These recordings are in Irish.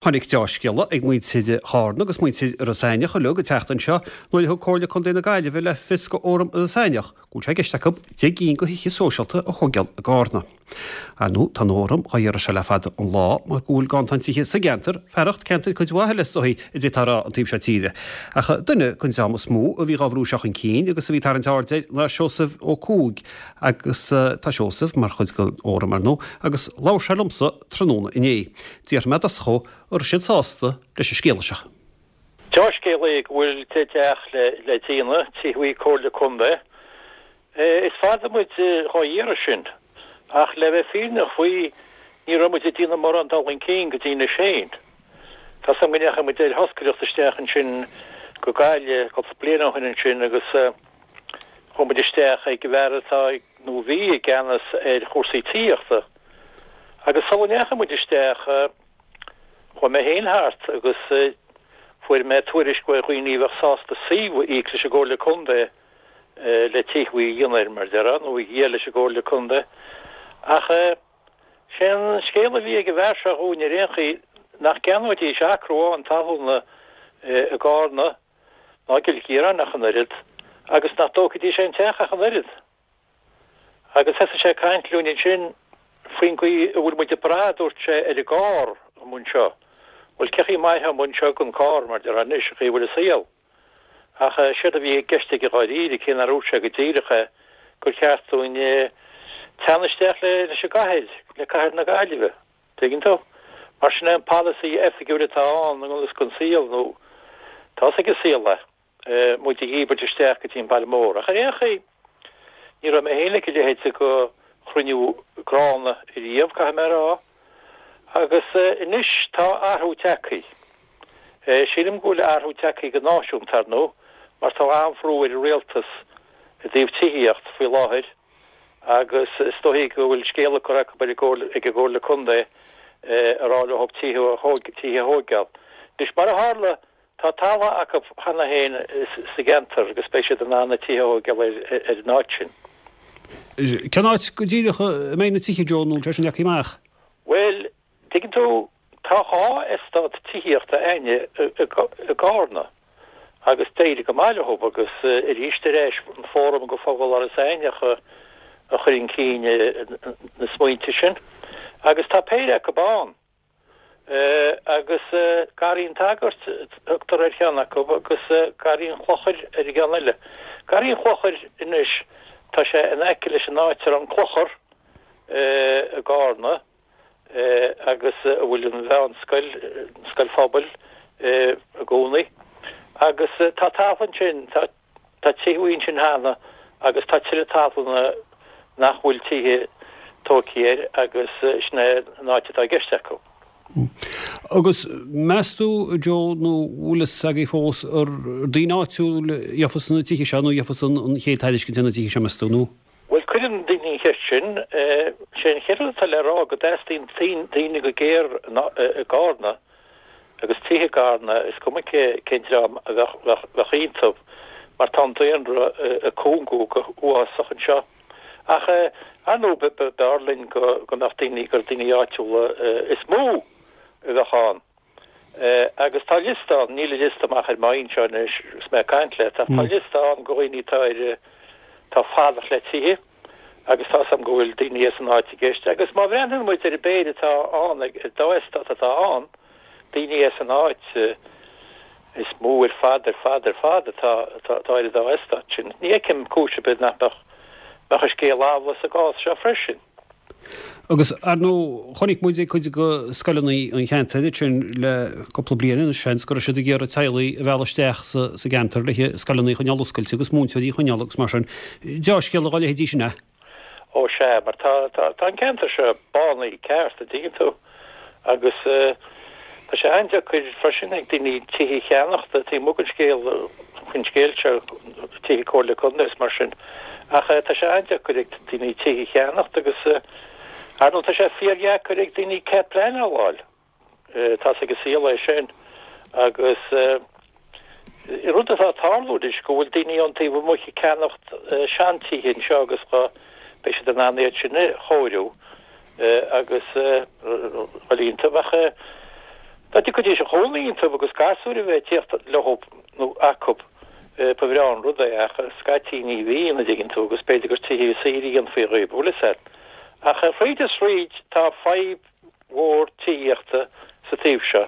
Tháinig deá-scéala ag muintir Chárna agus muintir Iorras Aithneach uilig an tseachtain seo nuair a thug Comhairle Contae na Gaillimhe le fios go Fhóram Iorras Aithneach go bhfuil sé i gceist acu 10 gcinn de thithe sóisialta a thóigeáil i gCárna. Ar ndóigh, tá an Fhóram dhá iarraidh seo le fada an lá mar go bhfuil ganntan tithe sa gceantar, fearacht ceantair cuid mhaith eile is dóichí a d'fhéadfá a rá an taobh seo tíre. Ach duine den dream is mó a bhí dhá bhrú seo chun cinn agus a bhí ag tarraingt aird air ná Seosamh Ó Cuaig agus tá Seosamh mar chuid den Fhóram ar ndóigh agus labhair sé liomsa tráthnóna inné. D'fhiafraigh mé i dtosach dhó an raibh siad sásta leis an scéala seo. Deá-scéal é go bhfuil teach le déanamh, tithe Comhairle Contae. Is fada muid dhá iarraidh sin, ach le bheith fírinneach faoi, ní raibh muid ag déanamh mórán dul chun cinn go dtí anois féin. Tá 's agam go ndeachaigh muid ar thoscaireacht isteach ansin go Gaillimh cúpla bliain ó shin ansin agus chuaigh muid isteach ag an bhfear atá nó a bhí i gceannas ar chúrsaí tithíochta. Agus sula ndeachaigh muid isteach, chuaigh mé féin thart agus fuair mé tuairisc ó dhaoine a bheadh sásta suíomh a íoc leis an gComhairle Contae le tithe a dhéanamh air, mar a déarfá, nó a dhíol leis an gComhairle Contae. Ach sé an scéal a bhí ag an bhfear seo dhúinn ar aon chaoi nach gceannóidís acra amháin talúna i gCárna ná i gCill Chiaráin ach an oiread agus nach dtógfaidís aon teach ach an oiread. Agus thosaigh sé ag caint linn ansin faoin gcaoi a bhfuil muid ag brath, a dúirt sé, ar an gcarr amuigh anseo. Bhuel, cé chaoi a mairfeá amuigh anseo gan carr, mar a déarfá anois, an chaoi a bhfuil an saol. Ach séard a bhí i gceist aige dháiríre, cé nár dhúirt sé go díreach é, gur cheart dúinn teannadh isteach leis an gcathair, le cathair na Gaillimhe. Tuigeann tú? Mar sin é an polasaí oifigiúil atá ann i ngan fhios don saol, nó tá's ag an saol é. muid a dhíbirt isteach go dtí an baile mór. Ach ar aon chaoi, ní raibh mé féin ag a leithéid de chruinniú gránna riamh, caithfidh mé a rá. Agus anois tá athrú tagtha. Sílim go bhfuil athrú tagtha go náisiúnta, ar ndóigh, mar tá an-bhrú ar an rialtas i dtaobh tithíocht faoi láthair agus is dóichí go bhfuil scéala curtha acu ag an gComhairle Contae a rá leo tithe a thóigeáil. Anois, mar a tharla, Tá talamh acu cheana féin sa gceantar agus beidh siad in ann na tithe a thóigeáil ar an áit sin. Cén áit go díreach a mbeidh na tithe, Joe, nó an bhfuil sé sin leagtha amach? Bhuel, tuigeann tú, tá 2 eastát tithíochta a'inne i gCárna agus d'éirigh go maith leo agus arís ar ais an Fóram go Phobal Iorras Aithneach a chuir chun cinn na smaointe sin agus tá péire acu ann. Agus Garraí an tSagairt a thugtar ar cheann acu agus Garraí an Chlochair ar an gceann eile. Garraí an Chlochair anois, tá sé in aice leis an áit a raibh an clochar i gCárna agus a bhfuil an mheánscoil, an scoil phobail, i gcónaí. Agus tá talamh ansin, tá. Tá tithe ansin cheana agus tá tuilleadh talúna nach bhfuil tithe tógtha air agus sin é an áit atá i gceist acu. Agus meas tú, Joe, nó bhfuil fhios agaibh fós, ar daoine áitiúil a gheofas na tithe seo nó a gheofas an chéad tairiscint ar na tithe seo, meas tú, nó? Bhuel, cuireann daoine an cheist sin. Sé an chéad rud atá le rá go dteastaíonn daoine go géar i gCárna agus tithe i gCarna, is cuma cén dream a bheadh iontu, mar tá an daonra ag cúngú go huafásach anseo. Ach, ar ndóigh, b'fhearr linn go mbeadh daoine, gur daoine áitiúla is mó a bheadh ann. Agus tá liosta ann, níl an liosta amach ar m'aghaidh anseo anois agus mé ag caint leat, ach tá liosta ann de dhaoine atá ar, atá fadach le tithe. agus tá 's a'm go bhfuil daoine as an áit i gceist. Agus má bhreathnaíonn muid ar an bpéire atá ann, ar dá eastát atá ann, daoine as an áit is mó ar fad, ar fad, ar fad atá atá ar an dá eastát sin. Ní fheicim cúis ar bith nach mbeadh mbeadh an scéal amhlaidh sa gcás seo freisin. Agus, ar ndóigh, chonaic muid ag cuid de scoileanna an cheantair ansin le cúpla bliain anois, seans, go raibh siad ag iarraidh teaghlaigh a mhealladh isteach sa gceantar le scoileanna a choinneáil oscailte agus múinteoirí a choinneáil agus mar sin. Deá-scéala dá leithéidí sin é. Ó sea, mar tá, tá, tá an ceantar seo bánaithe ceart, an dtuigeann tú. Agus tá sé an-deacair freisin ag daoine tithe a cheannacht, taobh amuigh den scéal, faoin scéal seo, tithe Comhairle Contae is mar sin. Ach tá sé an-deacair ag daoine tithe a cheannacht agus, ar ndóigh, tá sé fíordheacair ag daoine cead pleanála a fháil. Tá's ag an saol é sin. Agus rud atá ag tarlú anois go bhfuil daoine ón taobh amuigh ag ceannacht seantithe anseo agus beidh siad in ann iad sin a chóiriú agus dhul iontu. Ach. Dá dtiocfaidís a chónaí iontu agus gasúir a bheith ag tíocht leo nó acu, ba bhreá an rud é, ach scaití ní bhíonn, a dtuigeann tú, agus b'fhéidir gur tithe saoire a dhéanfaí dhíobh, bhfuil fhios a'd. Ach thríd is thríd tá fadhb mhór tithíochta sa taobh seo.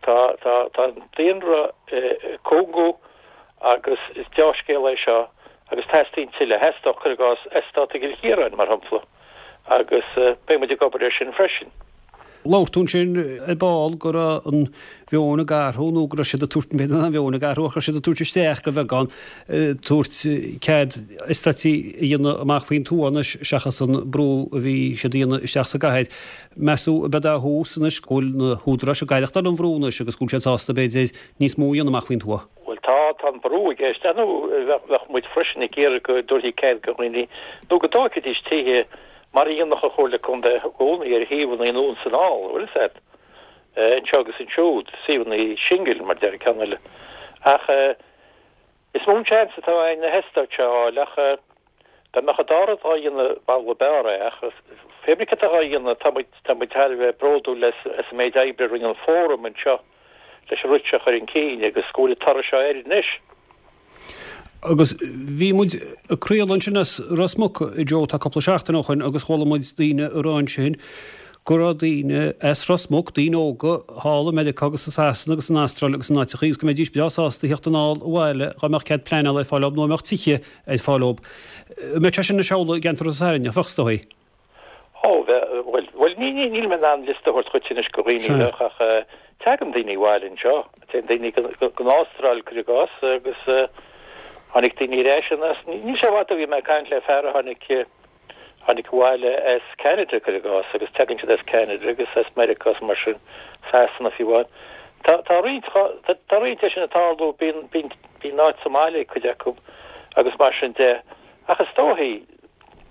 Tá, tá, tá an daonra ag cúngú agus is deá-scéal é seo agus teastaíonn tuilleadh. Theastódh, cuir i gcás, eastát i gCill Chiaráin, mar shampla, agus beidh muid ag obair air sin freisin. Labhair tú ansin ar ball go raibh an mheon ag athrú nó go raibh siad ag tabhairt, b'fhéidir nach an mheon ag athrú ach go raibh siad ag tabhairt isteach de bheagán, tabhairt cead eastáití a dhéanamh amach faoin tuath anois seachas an brú a bhí siad a dhéanamh isteach sa gcathair. Meas tú ab é a thús anois go bhfuil na húdaráis ag aireachtáil an bhrú anois agus go bhfuil siad sásta b'fhéidir níos mó a dhéanamh amach faoin tuath? Bhuel tá, tá an brú i gceist. Ar ndóigh bheadh muid freisin ag iarraidh go dtabharfaí cead do dhaoine nó go dtógfaidís tithe mar a dhéanadh an Chomhairle Contae i gcónaí ar shuíomhanna anonn is anall, bhfuil fhios a'd, anseo agus ansiúd, suíomhanna singil mar deir an ceann eile. Ach is mó an seans atá a'inn na heastáit seo a fháil ach dá mbeadh an dá rud dhá dhéanamh b'amhlaidh b'fhearr é ach pé ar bith cad atá dhá dhéanamh tá muid, tá muid thar a bheith bródúil as an méid oibre a rinne an Fóram anseo leis an rud seo a chur chun cinn agus go bhfuil an toradh seo air anois. Agus bhí muid ag craoladh ansin as Ros Muc, a Joe, tá cúpla seachtain ó shoin agus chuala muid daoine ag rá ansin go raibh daoine as Ros Muc, daoine óga thall i Meiriceá agus i Sasana agus san Astráil agus in áiteachaí agus go mbeidís breá sásta a theacht anall abhaile dhá mbeadh cead pleanála ar fáil dóibh nó a mbeadh tithe ar fáil dóibh. An mbeadh sé sin anois amhlaidh i gceantar Ros Airneach, bheadh is dóigh? Ó, bheadh, bhuel, bhuel, ní, ní, níl mé in ann liosta a thabhairt dhuit anois de dhaoine a bheadh ach tagann daoine abhaile anseo, téann daoine go, go, go Astráil, cuir i gcás, agus tháinig daoine ar ais anas, níl sé i bhfad ó bhí mé ag caint le fear a tháinig, tháinig abhaile as Canada, cuir i gcás, agus tagann siad as Canada agus as Meiriceá is mar sin, Sasana fiú amháin. Tá, tá roinnt, tá, tá roinnt de sin ag tarlú, bíonn, bíonn, bíonn áit sa mbaile ag cuid acu agus mar sin de, ach is dóichí,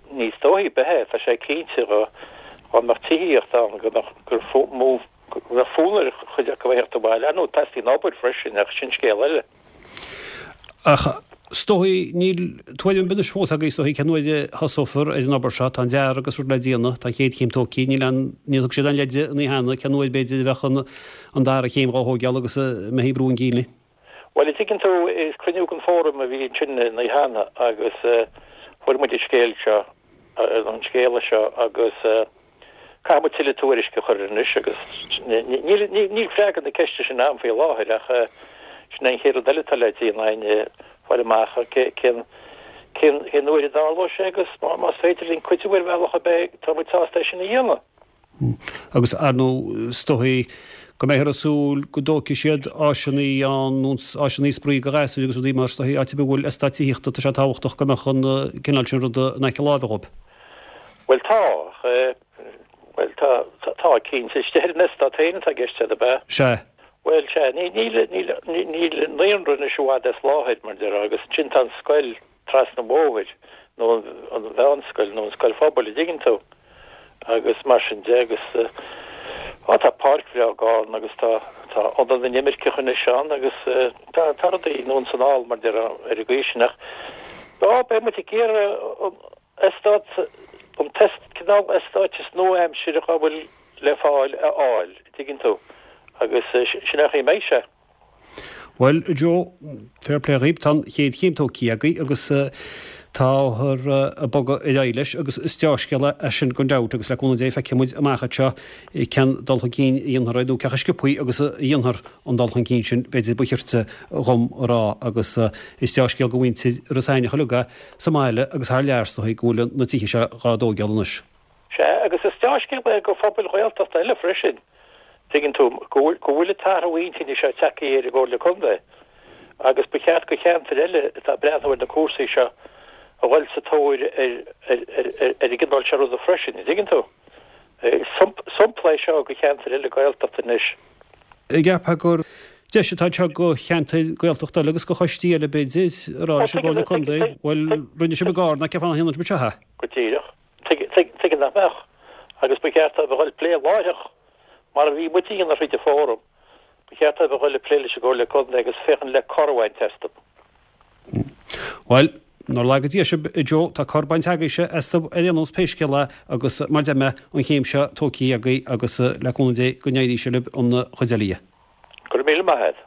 Ní is dóichí ar bith é, tá sé cinnte dá mbeadh tithíocht ann go mbeadh gur mó go mbeadh fonn ar chuid acu a theacht abhaile. Ar ndóigh, teastaíonn obair freisin ach sin scéal eile. Ach is dóichí níl tuairim ar bith anois fós agaibh is dóichí cén uair a thosófar ar an obair seo. Tá an dearadh agus rud le déanamh, tá an chéad chéim tógtha, níl aon, níor thug siad aon leide an oíche cheana cén uair b'fhéidir a bheadh an an dara chéim dhá thóigeáil agus a mbeifí ag brú chun cinn léi. Bhuel, a dtuigeann tú, is cruinniú den Fóram a bhí ansin an oíche cheana agus fuair muid an scéal seo, an scéala seo agus caithfidh muid tuilleadh tuairisce a chur air anois agus níl, níl freagra na ceiste sin agam faoi láthair ach sin é an chéad rud eile atá le déanamh againn, fáil amach cén, cén, cén uair a dtarlóidh sé agus más féidir linn cuidiú ar bhealach ar bith, tá muid sásta é sin a dhéanamh. Agus, ar ndóigh, is dóichí go mbeifear ag súil go dtógfaidh siad áiseanna ann, nó áiseanna spraoi do ghasúir agus rudaí mar, is dóichí, áit ar bith a bhfuil eastát tithíochta, tá sé tábhachtach go mbeadh an cineál sin ruda in aice láimhe dhóibh. Bhuel, tá, ach, bhuel, tá, tá, cinnte. Istigh ar an eastát féin atá i gceist agat, ab ea? Sea. Bhuel, sea, ní, níl, níl, níl an naíonra anois i bhfad as láthair, mar a déarfá, agus ansin tá an scoil, trasna an bhóthair, nó an mheánscoil, nó an scoil phobail, a dtuigeann tú, agus mar sin de, agus á, tá páirc bhreá i gCarna agus tá, tá ionad na n-imirceach anois ann agus tá, tá rudaí anonn is anall, mar a déarfá, ar an gcaoi sin, ach á, beidh muid ag iarraidh an eastát, an cineál eastáit is nua-aimseartha a bhfuil le fáil a fháil, a dtuigeann tú, agus sin é an chaoi a mbeidh sé. Bhuel, a Joe, fair play dhaoib, tá an chéad chéim tógtha agaibh agus táthar ag bogadh ar aghaidh leis agus is deá-scéal é sin gan dabht agus le cúnamh Dé feicfidh muid amach anseo cén dul chun cinn a dhéanfar nó cé chomh sciobthaí agus a dhéanfar an dul chun cinn sin b'fhéidir ba chirte dhom a rá agus is deá-scéal do mhuintir Ros Eidhneach uilig é sa mbaile agus thar lear is dóigh go bhfuil na tithe seo dhá dtóigeáil anois. Sea, agus is deá-scéal é do phobail Ghaeltachta eile freisin, tuigeann tú, go bhfuil, go bhfuil an t-athrú intinne seo tagtha ar an gComhairle Contae agus ba cheart do cheantair eile atá ag breathnú ar na cúrsaí seo a dhul sa tóir ar, ar, ar, ar, ar an gcineál seo ruda freisin, an dtuigeann tú? Is sampla é seo do cheantair eile Gaeltachta anois. An gceapfá gur deis atá anseo do cheantair Gaeltachta eile agus do choistí eile, b'fhéidir, a rá leis an gComhairle Contae, bhuel, rinne sibh i gCarna, cén fáth nach ndéanann sibh anseo é? Go díreach. Tuige nach mbeadh? Agus ba cheart dóibh a dhul ag plé láithreach, mar a bhí muid a dhéanamh thríd an Fóram, ba cheart dóibh a dhul ag plé leis an gComhairle Contae agus féachaint le cor a bhaint astu. Bhuel, Nár laga Dia sibh, a Joe, tá cor bainte agaibhse astu ar aon nós pé scéal é agus mar deir mé, an chéim seo tógtha agaibh agus le cúnamh Dé go n-éirí sé libh an chuid eile dhe. Go raibh míle maith agat.